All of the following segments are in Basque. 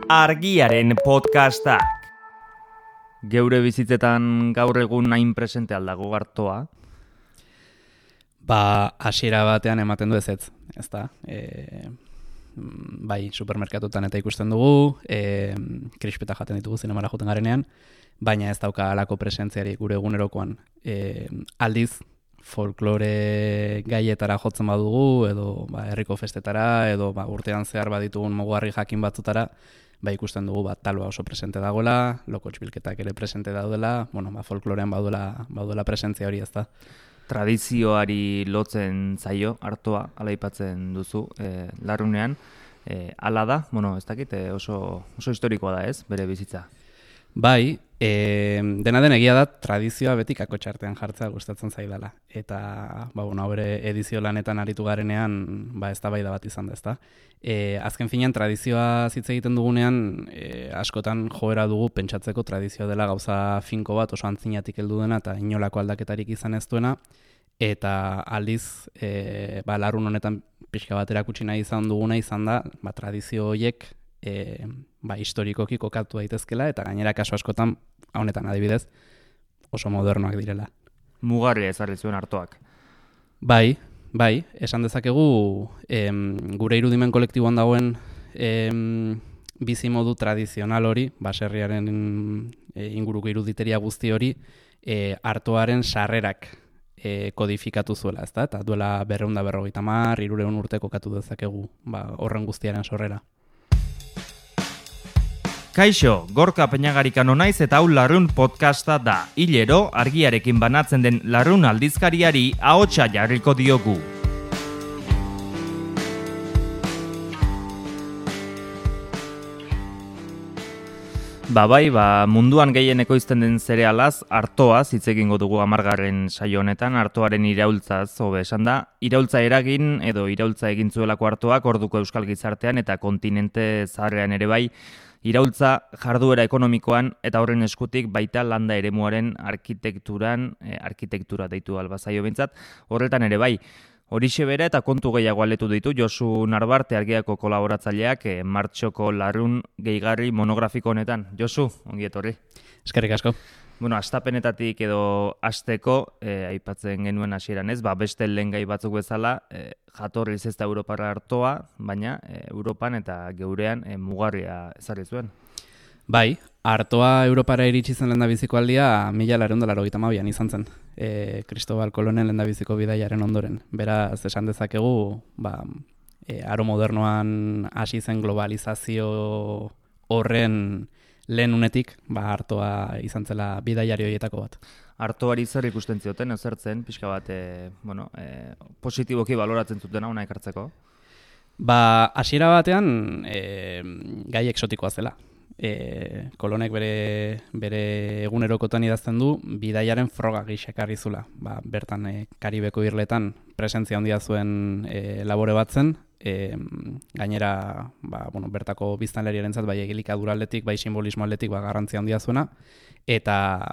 Argiaren podcastak. Geure bizitzetan gaur egun hain presente aldago artoa? Hasiera batean ematen du ezetz, ezta? Bai, supermerkatutan eta ikusten dugu, krispeta jaten ditugu zinemara joten garenean, baina ez dauka halako presentziari gure egunerokoan. Aldiz, folklore gaietara jotzen badugu, edo herriko festetara, edo urtean zehar baditugun mugarri jakin batzutara, ikusten dugu taloa oso presente dagoela, lokotx bilketak ere presente daudela, folklorean baudela presentzia hori, ezta? Tradizioari lotzen zaio artoa, ala aipatzen duzu, larrunean. Hala da, ez dakit, oso historikoa da ez, bere bizitza. Bai, dena den egia da tradizioa beti kakotxartean jartzea gustatzen zaidala. Eta, bere edizio lanetan aritu garenean, eztabaida bat izan da, ezta? Azken finean, tradizioa hitz egiten dugunean, askotan joera dugu pentsatzeko tradizioa dela gauza finko bat, oso antzinatik heldu dena, eta inolako aldaketarik izan ez duena, eta aldiz, larrun honetan pixka bat erakutsi nahi izan duguna izan da, tradizio horiek, historikoki kokatu daitezkela, eta gainera kasu askotan, honetan adibidez, oso modernoak direla. Mugarria ezarri zuen artoak. Bai, esan dezakegu gure irudimen kolektiboan dagoen bizimodu tradizional hori, baserriaren inguruko iruditeria guzti hori, artoaren sarrerak kodifikatu zuela, ezta? Eta duela 250, 300 urte kokatu dezakegu horren guztiaren sorrera. Kaixo, Gorka Peñagarikano naiz eta hau Larrun podcasta da. Hilero, argiarekin banatzen den Larrun aldizkariari ahotsa jarriko diogu. Munduan gehien ekoizten den zerealaz, artoaz hitz egingo dugu 10. saio honetan, artoaren iraultzaz, hobe esan da. Iraultza eragin edo iraultza egin zuelako artoak orduko euskal gizartean eta kontinente zaharrean ere bai, iraultza jarduera ekonomikoan eta horren eskutik baita landa eremuaren arkitektura deitu albazaio bintzat, horretan ere bai. Horixe bere eta kontu gehiago aletu ditu Josu Narbarte Argiako kolaboratzaileak martxoko Larrun gehigarri monografiko honetan. Josu, ongi etorri. Eskerrik asko. Astapenetatik edo hasteko aipatzen genuen hasieran ez, beste lehen gai batzuk bezala, jatorriz ez da Europarra artoa, baina Europan eta geurean mugarria ezarri zuen. Bai, artoa Europara iritsi zen lehendabiziko aldia 1982an izan zen. Cristobal Colonen lehendabiziko bidaiaren ondoren. Beraz, esan dezakegu, aro modernoan hasi zen globalizazio horren lehen unetik, artoa izan zela bidaiari horietako bat. Artoari zer ikusten zioten, ezertzen, pixka bat, positiboki baloratzen zuten hona ekartzeko? Hasiera batean, gai eksotikoa zela. Kolonek bere egunerokotan idazten du bidaiaren froga gixekarri zula. Bertan Karibeko irletan presentzia handia zuen labore bat zen, gainera bertako biztanleriarentzat bai egilikadura aldetik, bai simbolismo aldetik garrantzia handia zuena, eta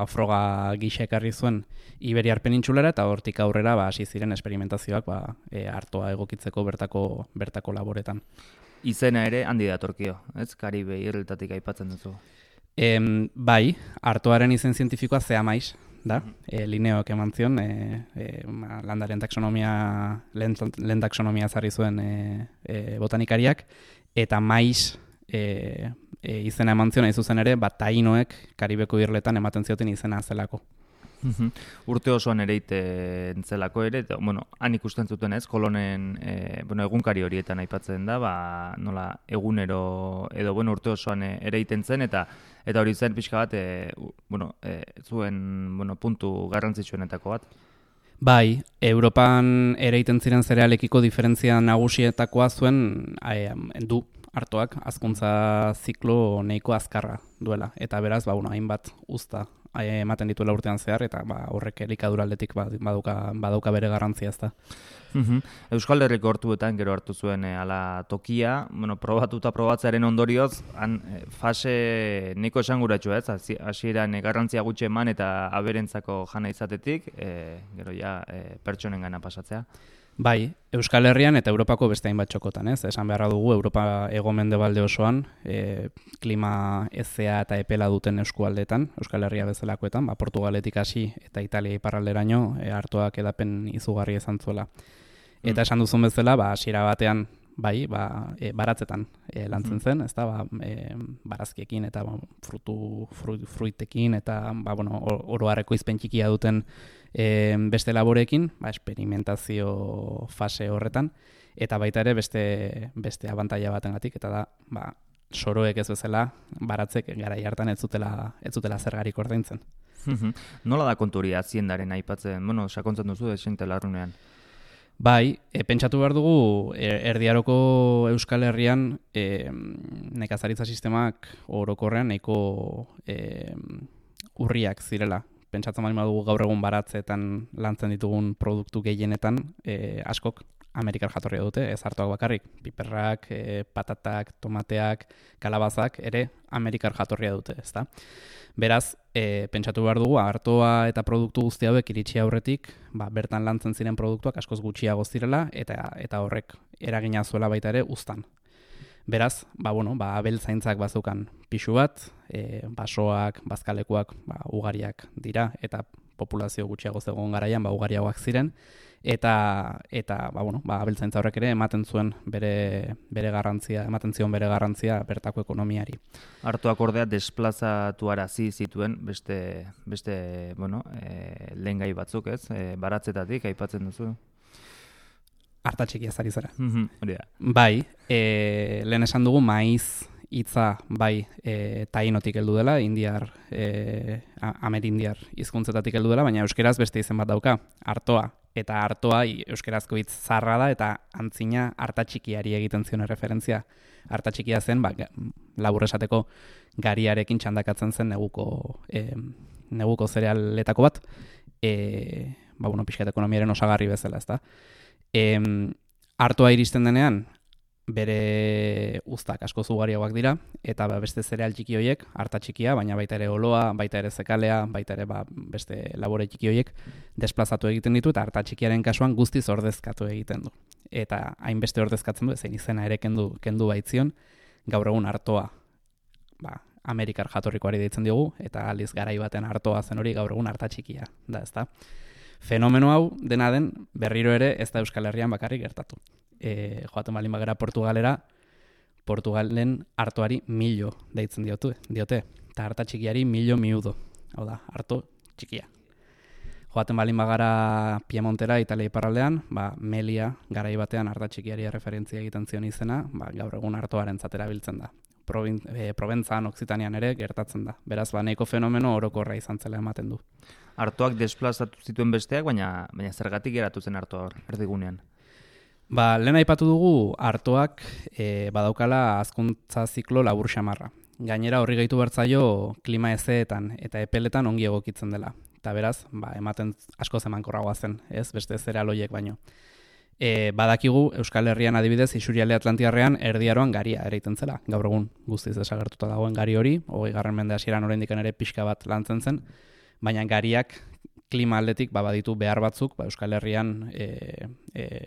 froga gixekarri zuen Iberiar penintsulara eta hortik aurrera hasi ziren esperimentazioak artoa egokitzeko bertako laboretan. Izena ere handi datorkio, ez? Karibe irletatik aipatzen duzu. Bai, artoaren izen zientifikoa Zeamais da. Linneok eman zion, landaren taxonomia, lehen taxonomia zarri zuen botanikariak, eta mais izena eman zion, zuzen ere, tainoek Karibeko irletan ematen zioten izena zelako. Urte osoan ereiten zelako ere, han ikusten zuten ez, Kolonen egunkari horietan aipatzen da, nola egunero edo urte osoan ereiten zen, eta hori zen pixka bat, zuen puntu garrantzitsuenetako bat. Bai, Europan ereiten ziren zerealekiko diferentzia nagusietakoa zuen du artoak hazkuntza ziklo nahiko azkarra duela, eta beraz, hainbat uzta ematen dituela urtean zehar, eta horrek elikadura aldetik badauka bere garrantzia ezta. Euskal Herriko hortuetan gero hartu zuen ala tokia, probatzearen ondorioz, fase nahiko esanguratsu ez, hasieran garrantzia gutxi eman eta aberentzako jana izatetik, gero pertsonen gana pasatzea. Bai, Euskal Herrian eta Europako beste hainbat txokotan, ez? Esan beharra dugu, Europa hego-mendebalde osoan, klima hezea eta epela duten eskualdetan, Euskal Herria bezalakoetan, Portugaletik hasi eta Italia iparralderaino artoak edapen izugarri izan zuela. Eta esan duzun bezala, hasiera batean, bai, baratzetan lantzen zen, ezta, barazkiekin eta fruitekin eta oro har ekoizpen txikia duten beste laboreekin, esperimentazio fase horretan, eta baita ere beste abantaila batengatik, eta da, soroek ez bezala, baratzek garai hartan ez zutela zergarik ordaintzen. Nola da kontu hori haziendaren aipatzen, sakontzen duzu desente larrunean? Bai, pentsatu behar dugu, Erdiaroko Euskal Herrian nekazaritza sistemak orokorrean nahiko urriak zirela. Pentsatzen bali badugu gaur egun baratzeetan lantzen ditugun produktu gehienetan askok Amerikar jatorria dute, ez artoak bakarrik. Piperrak, patatak, tomateak, kalabazak ere Amerikar jatorria dute, ezta? Beraz, pentsatu behar dugu, artoa eta produktu guzti hauek iritsi aurretik, bertan lantzen ziren produktuak askoz gutxiago zirela eta horrek eragina zuela baita ere uztan. Beraz, abeltzaintzak bazeukan pixu bat, basoak, bazkalekuak ugariak dira eta populazio gutxiago zegoen garaian ugariagoak ziren eta abeltzaintza horrek ere ematen zion bere garrantzia bertako ekonomiari. Artoak ordea desplazatuarazi zituen beste lehengai batzuk, ez? Baratzetatik aipatzen duzu. Artatxikia zari zara. Hori da. Bai, lehen esan dugu maiz hitza tainotik heldu dela, amerindiar hizkuntzetatik heldu dela, baina euskeraz beste izen bat dauka, artoa. Eta artoa euskerazko hitz zarra da eta antzina artatxikiari egiten zion referentzia. Artatxikia zen, labur esateko gariarekin txandakatzen zen neguko zerealetako bat, pixkat ekonomiaren osagarri bezala, ezta. Artoa iristen denean, bere uztak asko ugariagoak dira, eta beste zereal txiki horiek, arta txikia, baina baita ere oloa, baita ere zekalea, baita ere beste labore txiki horiek desplazatu egiten ditu, eta arta txikiaren kasuan guztiz ordezkatu egiten du. Eta hainbeste ordezkatzen du, zein izena ere kendu baitzion, gaur egun artoa Amerikar jatorrikoari deitzen diogu, eta aliz garai baten artoa zen hori gaur egun arta txikia da, ezta? Fenomeno hau, dena den, berriro ere ez da Euskal Herrian bakarrik gertatu. Joaten balin bagara Portugalen artoari millo deitzen diote, eta arta txikiari millo miudo, hau da, arto txikia. Joaten balin bagara Piemontera, Italia iparraldean, Melia garai batean arta txikiari referentzia egiten zion izena, gaur egun artoaren zatera biltzen da. Proventzan, Oksitanian ere gertatzen da. Beraz, nahiko fenomeno orokorra izan zela ematen du. Artoak desplazatu zituen besteak, baina zergatik geratu zen artoa erdigunean? Lehen aipatu dugu artoak badaukala hazkuntza ziklo labur xamarra. Gainera horri gehitu bertzaio klima hezeetan eta epeletan ongi egokitzen dela. Eta beraz, ematen asko emankorragoa zen, ez beste zereal horiek baino. Badakigu Euskal Herrian adibidez Isurialde Atlantiarrean Erdiaroan garia ereiten zela. Gaur egun guztiz desagertuta dagoen gari hori, 20. mende hasieran oraindik ere pixka bat lantzen zen, baina gariak klima aldetik baditu behar batzuk, Euskal Herrian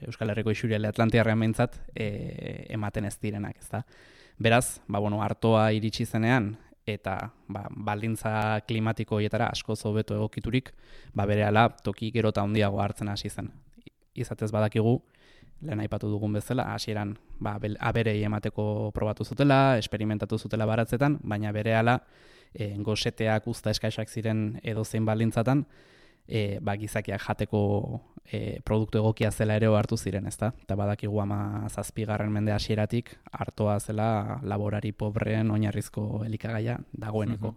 Euskal Herriko Isurialde Atlantiarrean behintzat ematen ez direnak, ezta. Beraz, artoa iritsi zenean eta baldintza klimatiko horietara asko hobeto egokiturik, berehala toki gero eta handiago hartzen hasi zen. Izatez badakigu, lehen aipatu dugun bezala, hasieran aberei emateko probatu zutela, esperimentatu zutela baratzetan, baina berehala goseteak uzta eskaisak ziren edozein baldintzatan, gizakiak jateko produktu egokia zela ere hartu ziren, ezta? Eta badakigu 17. mende hasieratik artoa zela laborari pobreen oinarrizko elikagaia dagoeneko.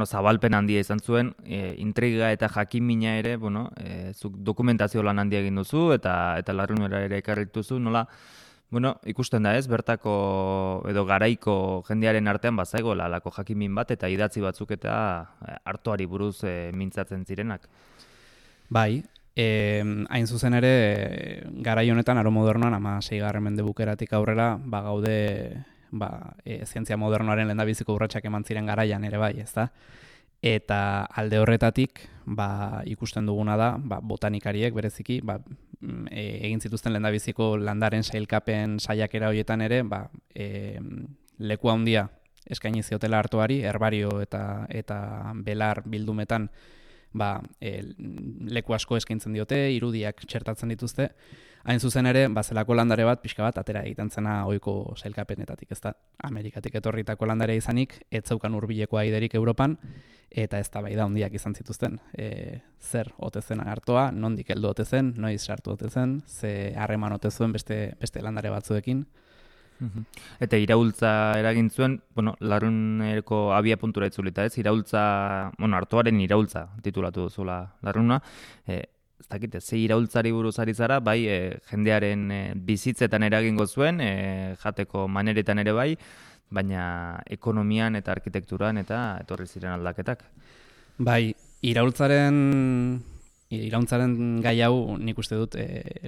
Zabalpen handia izan zuen, intriga eta jakimina ere, zuk dokumentazio lan handia egin duzu eta larrunera ere ekarrituzu, nola, ikusten da ez, bertako edo garaiko jendearen artean bazaigoela alako jakimin bat eta idatzi batzuk eta artoari buruz mintzatzen zirenak. Bai, hain zuzen ere, garai honetan aro modernoan, 16. mende bukeratik aurrera, gaude zientzia modernoaren lehendabiziko urratsak eman ziren garaian ere bai, ezta? Eta alde horretatik ikusten duguna da botanikariek bereziki egin zituzten lehendabiziko landaren sailkapen saiakera horietan ere, leku handia eskaini ziotela artoari, herbario eta belar bildumetan leku asko eskaintzen diote, irudiak txertatzen dituzte. Hain zuzen ere, zelako landare bat, pixka bat, atera egiten zena ohiko sailkapenetatik, ez da, Amerikatik etorritako landare izanik, ez zeukan hurbileko aiderik Europan, eta ez da bai da handiak izan zituzten. Zer ote zen artoa, nondik heldu ote zen, noiz sartu ote zen, ze harreman ote zuen beste landare batzuekin. Eta iraultza eragin zuen, Larruneko abia puntura itzulita ez, artoaren iraultza titulatu duzula Larruna, ez dakite, ze iraultzari buruz ari zara, bai jendearen bizitzetan eragingo zuen, jateko maneretan ere bai, baina ekonomian eta arkitekturan eta etorri ziren aldaketak. Bai, iraultzaren gai hau nik uste dut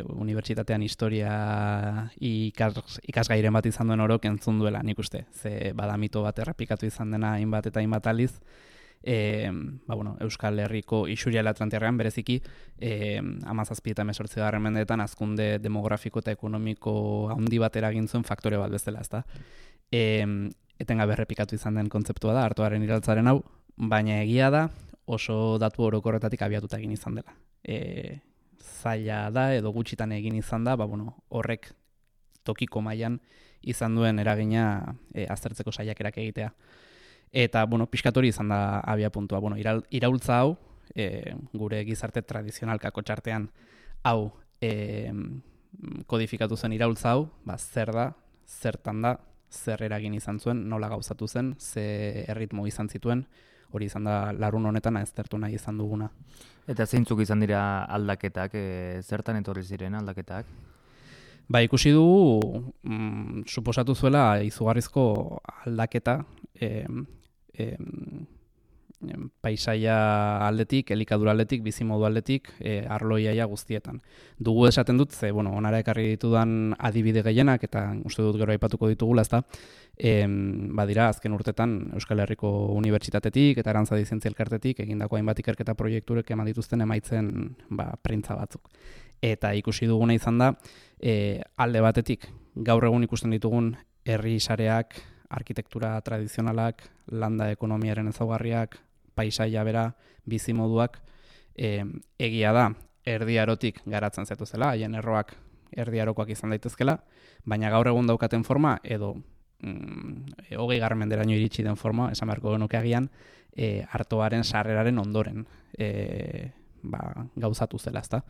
unibertsitatean historia ikasgairen bat izan duen orok entzun duela nik uste. Ze bada mito bat errepikatu izan dena hainbat eta hainbat aliz, Euskal Herriko isuriala Atlantiarrean bereziki 17 eta 18 mendeetan hazkunde demografiko eta ekonomiko handi bat eragin zuen faktore bat bezala, ezta. Etengabe errepikatu izan den kontzeptua da artoaren iraultzaren hau, baina egia da oso datu orokorretatik abiatuta egin izan dela. Zaila da edo gutxitan egin izan da, horrek tokiko mailan izan duen eragina aztertzeko saiakerak egitea. Eta, pixkat hori izan da abia puntua. Iraultza hau, gure gizarte tradizionalkako txartean, hau kodifikatu zen iraultza hau, zer da, zertan da, zer eragin izan zuen, nola gauzatu zen, ze erritmo izan zituen, hori izan da Larrun honetan aztertu nahi izan duguna. Eta zeintzuk izan dira aldaketak, zertan etorri ziren aldaketak? Ikusi dugu, suposatu zuela izugarrizko aldaketa, paisaia aldetik, elikadura aldetik, bizimodu aldetik, arloiaia guztietan. Dugu esaten dut, onara ekarri ditudan adibide gehienak, eta uste dut gero aipatuko ditugula, ezta, badira, azken urtetan Euskal Herriko Unibertsitatetik eta Arantzadi Zientzia Elkartetik egindako hainbat ikerketa proiekturek eman dituzten emaitzen printza batzuk. Eta ikusi duguna izan da, alde batetik, gaur egun ikusten ditugun herri sareak, arkitektura tradizionalak, landa ekonomiaren ezaugarriak, paisaia bera, bizimoduak, egia da, erdiarotik garatzen zetuzela, haien erroak erdiarokoak izan daitezkela, baina gaur egun daukaten forma, edo 20. menderaino iritsi den forma, esan beharko genuke agian, artoaren sarreraren ondoren gauzatu zela, ezta.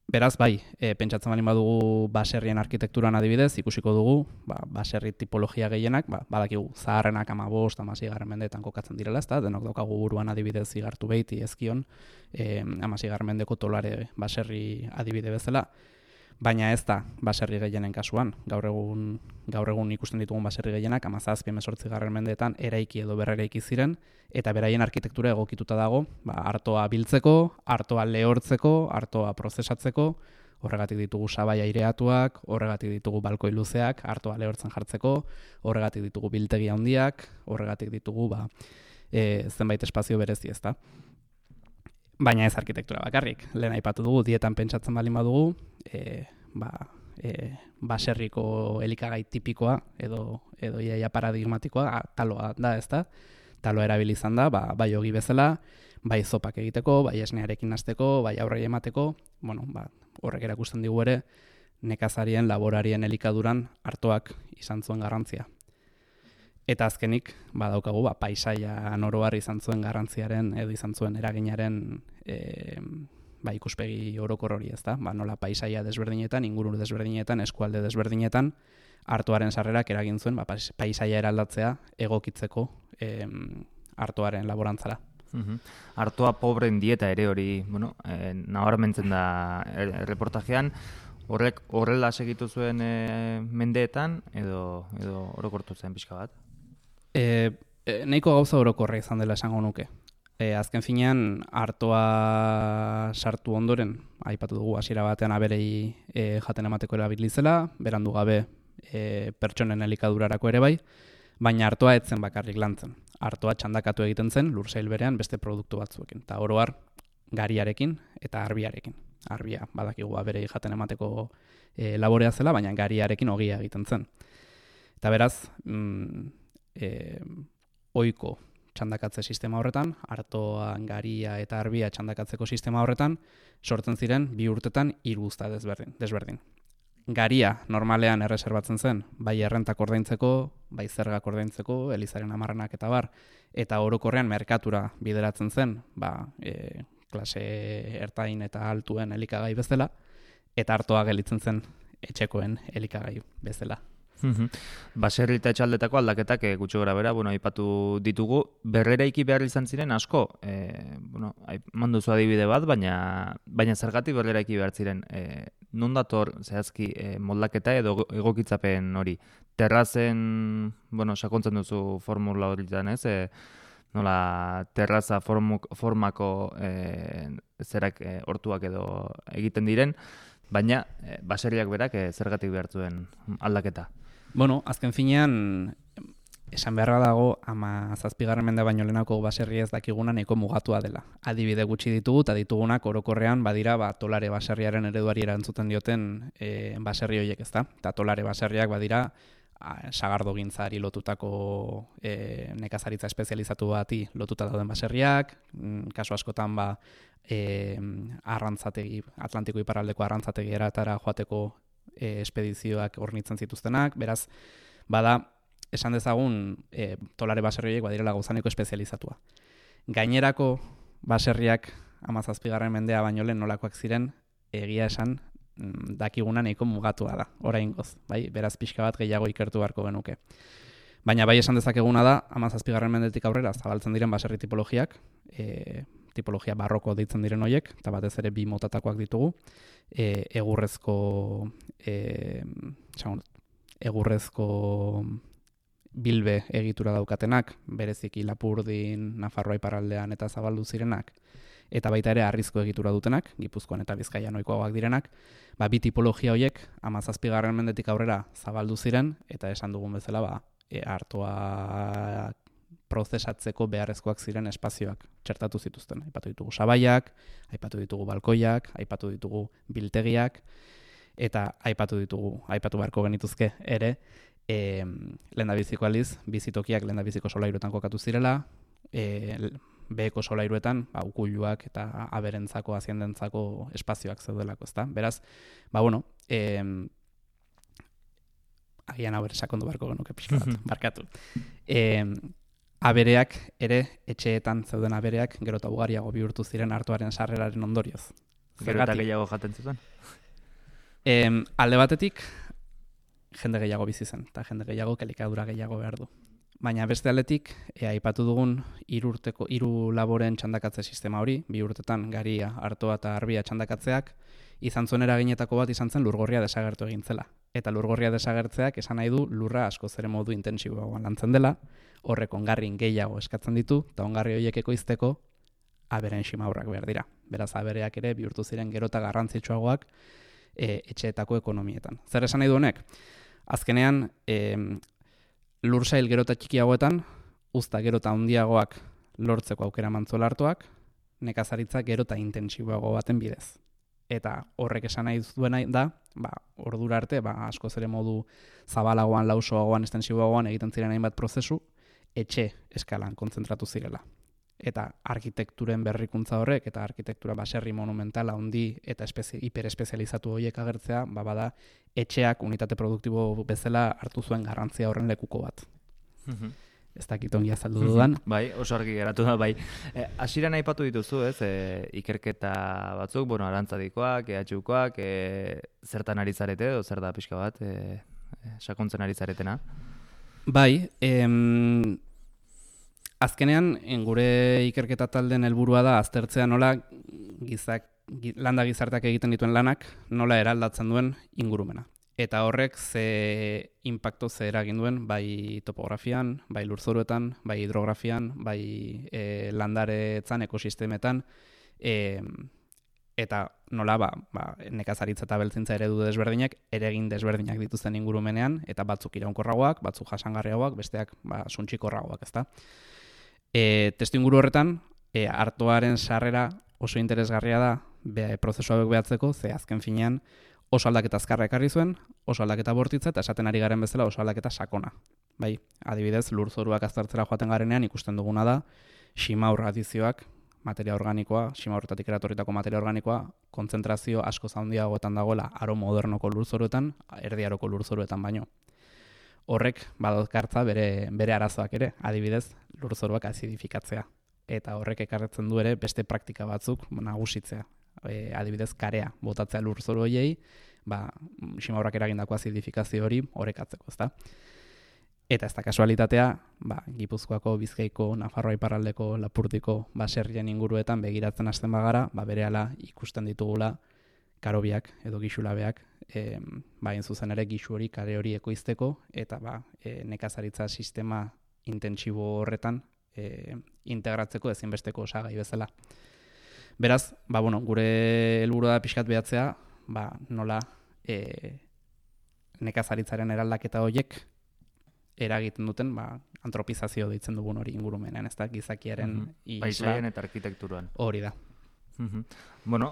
Beraz, pentsatzen baldin badugu baserrien arkitekturan adibidez, ikusiko dugu, baserri tipologia gehienak, badakigu zaharrenak 15-16 mendeetan kokatzen direla, ezta, denok daukagu buruan adibidez Igartu Beiti, Ezkion, 16 mendeko Tolare baserri adibide bezala, baina ez da baserri gehienen kasuan. Gaur egun ikusten ditugun baserri gehienak 17-18 mendeetan eraiki edo berreraiki ziren, eta beraien arkitektura egokituta dago, artoa biltzeko, artoa lehortzeko, artoa prozesatzeko, horregatik ditugu sabai aireatuak, horregatik ditugu balkoi luzeak, artoa lehortzen jartzeko, horregatik ditugu biltegi handiak, horregatik ditugu zenbait espazio berezi, ezta. Baina ez arkitektura bakarrik. Lehen aipatu dugu, dietan pentsatzen baldin badugu, baserriko elikagai tipikoa edo iaia paradigmatikoa taloa da, ezta? Taloa erabili izan da, bai ogi bezala, bai zopak egiteko, bai esnearekin hasteko, bai aurrei emateko, horrek erakusten digu ere, nekazarien, laborarien elikaduran artoak izan zuen garrantzia. Eta azkenik, badaukagu, paisaia oroar izan zuen garrantziaren edo izan zuen eraginaren ikuspegi orokor hori, ezta? Nola paisaia desberdinetan, inguru desberdinetan, eskualde desberdinetan, artoaren sarrerak eragin zuen, paisaia eraldatzea egokitzeko artoaren laborantzara. Artoa pobreen dieta ere hori, nabarmentzen da reportajean, horrek horrela segitu zuen mendeetan edo orokortu zen pixka bat? Nahiko gauza orokorra izan dela esango nuke. Azken finean, artoa sartu ondoren, aipatu dugu hasiera batean aberei jaten emateko erabilizela, berandu gabe pertsonen elikadurarako ere bai, baina artoa etzen bakarrik lantzen. Artoa txandakatu egiten zen lursail berean beste produktu batzuekin, eta oro har gariarekin eta arbiarekin. arbia badakigu aberei jaten emateko laborea zela, baina gariarekin ogia egiten zen. Eta beraz, ohiko txandakatze sistema horretan, artoa, garia eta arbia txandakatzeko sistema horretan, sortzen ziren 2 urtetan 3 uzta desberdin. Garia normalean erreserbatzen zen, bai errentak ordaintzeko, bai zergak ordaintzeko, elizaren amarranak eta bar, eta orokorrean merkatura bideratzen zen, klase ertain eta altuen elikagai bezala, eta artoa gelitzen zen etxekoen elikagai bezala. Baserri eta etxaldetako aldaketak gutxi gora bera, aipatu ditugu, berreraiki behar izan ziren asko, manduzu adibide bat, baina zergatik berreraiki behar ziren, non dator zehazki moldaketa edo egokitzapen hori? Terrazen, sakontzen duzu formula hori zan, ez? Nola terraza formako zerak hortuak edo egiten diren, baina baserriak berak zergatik behar zuen aldaketa? Azken finean, esan beharra dago, 17. mende baino lehenako baserri ez dakiguna nahiko mugatua dela. Adibide gutxi ditugu, eta ditugunak orokorrean badira tolare baserriaren ereduari erantzuten dioten baserri horiek, ezta? Eta tolare baserriak badira sagardogintzari lotutako nekazaritza espezializatu bati lotuta dauden baserriak, kasu askotan arrantzategi, Atlantiko iparraldeko arrantzategi eratara joateko espedizioak hornitzen zituztenak, beraz, esan dezagun tolare baserriek badirela gauzaneko espezializatua. Gainerako baserriak 17. mendea baino lehen nolakoak ziren, egia esan dakiguna nahiko mugatua da, oraingoz, bai, beraz pixka bat gehiago ikertu beharko genuke. Baina bai esan dezakeguna da, 17. mendetik aurrera zabaltzen diren baserri tipologiak, tipologia barroko deitzen diren horiek, eta batez ere 2 motatakoak ditugu, egurrezko bilbe egitura daukatenak, bereziki Lapurdin, Nafarroa iparraldean eta zabaldu zirenak, eta baita ere harrizko egitura dutenak, Gipuzkoan eta Bizkaian ohikoagoak direnak, 2 tipologia horiek 17. mendetik aurrera zabaldu ziren, eta esan dugun bezala artoa prozesatzeko beharrezkoak ziren espazioak txertatu zituzten. Aipatu ditugu sabaiak, aipatu ditugu balkoiak, aipatu ditugu biltegiak, eta aipatu beharko genituzke ere, lehendabiziko aldiz, bizitokiak lehendabiziko solairuetan kokatu zirela, beheko solairuetan, ukuluak eta aberentzako, aziendentzako espazioak zeudelako, ezta? Beraz, agian hau ere sakondu beharko genuke pixka bat, barkatu. Abereak ere, etxeetan zeuden abereak, gero eta ugariago bihurtu ziren artoaren sarreraren ondorioz. Gero eta gehiago jaten zuten? Alde batetik, jende gehiago bizi zen, eta jende gehiago elikadura gehiago behar du. Baina beste aldetik, aipatu dugun 3 laboren txandakatze sistema hori, 2 urtetan garia, artoa eta arbia txandakatzeak, izan zuen eraginetako bat izan zen lurgorria desagertu egin zela. Eta lurgorria desagertzeak esan nahi du lurra askoz ere modu intentsiboagoan lantzen dela, horrek ongarrin gehiago eskatzen ditu, eta ongarri horiek ekoizteko aberen ximaurrak behar dira. Beraz, abereak ere bihurtu ziren gero eta garrantzitsuagoak etxeetako ekonomietan. Zer esan nahi du honek? Azkenean, lursail gero eta txikiagoetan, uzta gero eta handiagoak lortzeko aukera mantzuela hartuak, nekazaritza gero eta intentsiboago baten bidez. Eta horrek esan nahi duena da, ordura arte, askoz ere modu zabalagoan, lausoagoan, estensiboagoan egiten ziren hainbat prozesu, etxe eskalan kontzentratu zirela. Eta arkitekturen berrikuntza horrek, eta arkitektura baserri monumentala handi eta hiperespezializatu horiek agertzea, bada etxeak unitate produktibo bezala hartu zuen garrantzia horren lekuko bat. Ez dakit ongi azaldu dudan. Bai, oso argi geratu da, bai. Hasieran aipatu dituzu, ez, ikerketa batzuk, arantzadikoak, EHUkoak, zertan ari zarete, edo zer da pixka bat, sakontzen ari zaretena? Bai, azkenean, gure ikerketa taldeen helburua da aztertzea nola landa gizarteak egiten dituen lanak nola eraldatzen duen ingurumena. Eta horrek ze impacto ze eragin duen, bai topografian, bai lurzoruetan, bai hidrografian, bai landaretzan, ekosistemetan, eta nola nekazaritza eta beltzintza eredu desberdinak, eragin desberdinak dituzten ingurumenean, eta batzuk iraunkorragoak, batzuk jasangarriagoak, besteak suntsikorragoak, ezta. Testu inguru horretan, artoaren sarrera oso interesgarria da, prozesu hauek behatzeko, ze azken finean oso aldaketa azkarra ekarri zuen, oso aldaketa bortitza eta esaten ari garen bezala oso aldaketa sakona. Bai, adibidez, lurzoruak aztertzera joaten garenean ikusten duguna da, ximaur adizioak, materia organikoa, ximaurretatik eratorritako materia organikoa, kontzentrazio asko handiagoetan dagoela aro modernoko lurzoruetan, erdi aroko lurzoruetan baino. Horrek badaukartza bere arazoak ere, adibidez, lurzoruak azidifikatzea. Eta horrek ekartzen du ere beste praktika batzuk nagusitzea. Adibidez, karea botatzea lurzoru horiei, ximaurrak eragindako azidifikazio hori orekatzeko, ezta? Eta ez da kasualitatea, Gipuzkoako, Bizkaiko, Nafarroa iparraldeko, Lapurdiko baserrien inguruetan begiratzen hasten bagara, berehala ikusten ditugula karobiak edo gixulabeak, hain zuzen ere gixu hori, kare hori ekoizteko, eta nekazaritza sistema intentsibo horretan integratzeko ezinbesteko osagai bezala. Beraz, gure helburua da pixkat behatzea, nola nekazaritzaren eraldaketa horiek eragiten duten, antropizazio deitzen dugun hori ingurumenean, ez da, gizakiaren paisaian eta arkitekturan. Hori da.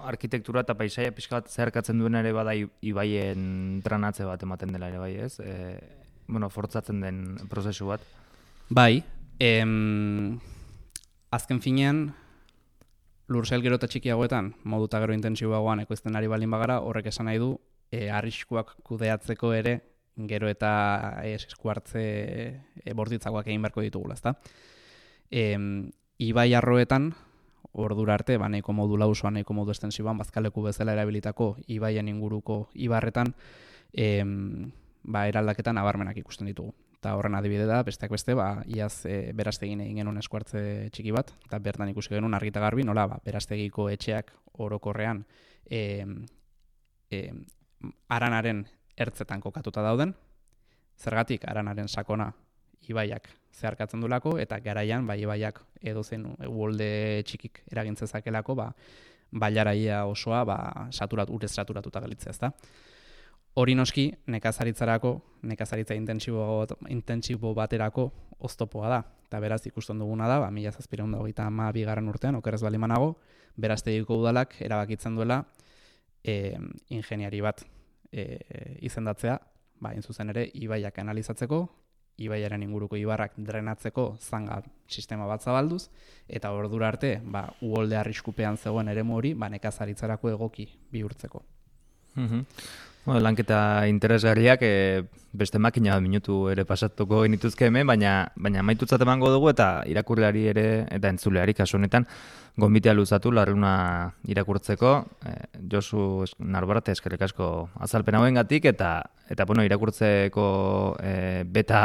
Arkitektura eta paisaia pixkat zeharkatzen duen ere bada ibaien tranatze bat ematen dela ere bai, ez? Fortzatzen den prozesu bat. Bai, azken finean, lursail gero eta txikiagoetan, modu eta gero intentsiboagoan ekoizten ari balin bagara, horrek esan nahi du, arriskuak kudeatzeko ere, gero eta eskuartze bortitzakoak egin beharko ditugula, ezta? Ibai arroetan, ordura arte, nahiko modu lausoan, nahiko modu estensiboan, bazkaleku bezala erabilitako ibaien inguruko ibarretan, eraldaketan nabarmenak ikusten ditugu. Eta horren adibide da, besteak beste, iaz beraztegin egin genuen eskuartze txiki bat, eta bertan ikusi genuen argi eta garbi, nola, beraztegiko etxeak orokorrean aranaren ertzetan kokatuta dauden, zergatik aranaren sakona ibaiak zeharkatzen dulako, eta garaian, ibaiak edozen uholde txikik eragintzezakelako, bailaraia osoa urez saturatuta galitzea, ezta? Hori noski, nekazaritza intentsibo baterako oztopoa da. Eta beraz ikusten duguna da, 1732 urtean, okerrez balimanago, beraztegiko udalak erabakitzen duela ingeniari bat izendatzea, hain zuzen ere, ibaiak analizatzeko, ibaiaren inguruko ibarrak drenatzeko zanga sistema bat zabalduz, eta ordura arte, uholde arriskupean zegoen eremu hori, nekazaritzarako egoki bihurtzeko. Lanketa interesgarriak beste makina minutu ere pasatuko genituzke hemen, baina maitutzat emango dugu eta irakurleari ere eta entzuleari kasu honetan gonbitea luzatu larruna irakurtzeko. Josu Narbarate eskerrik asko azalpen hauengatik eta irakurtzeko beta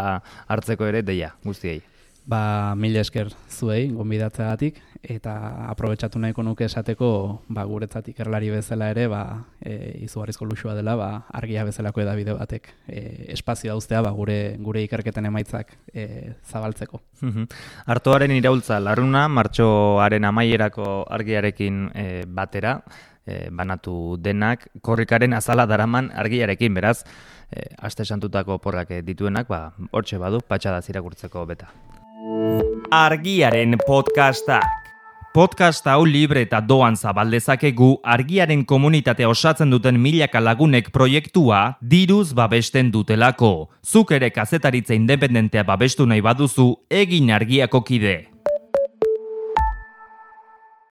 hartzeko ere deia guztiei. Mila esker zuei gonbidatzeagatik eta aprobetxatu nahiko nuke esateko guretzat ikerlari bezala ere izugarrizko luxua dela argia bezalako edabide batek espazio dauztea gure ikerketen emaitzak zabaltzeko. Artoaren iraultza larruna martxoaren amaierako argiarekin batera banatu denak korrikaren azala daraman argiarekin, beraz aste santutako porrak dituenak hortxe badu patxadaz irakurtzeko beta. Argiaren podcastak. Podcast hau libre eta doan zabaldezakegu argiaren komunitatea osatzen duten milaka lagunek proiektua diruz babesten dutelako. Zuk ere kazetaritza independentea babestu nahi baduzu egin argiako kide.